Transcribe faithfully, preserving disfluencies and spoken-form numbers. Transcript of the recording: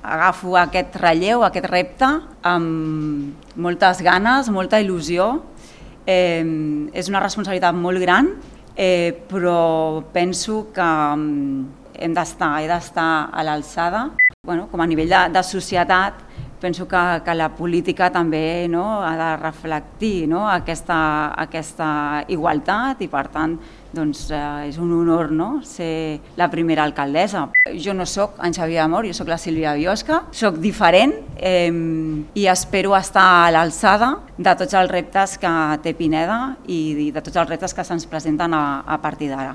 agafo aquest relleu, aquest repte, amb moltes ganes, molta il·lusió. Eh, és una responsabilitat molt gran, eh, però penso que hem d'estar, he d'estar a l'alçada. Bueno, com a nivell de, de societat, penso que, que la política també, no, ha de reflectir, no, aquesta, aquesta igualtat i, per tant, doncs, eh, és un honor, no, ser la primera alcaldessa. Jo no sóc en Xavier Amor, jo sóc la Sílvia Biosca, sóc diferent eh, i espero estar a l'alçada de tots els reptes que té Pineda i de tots els reptes que se'ns presenten a, a partir d'ara.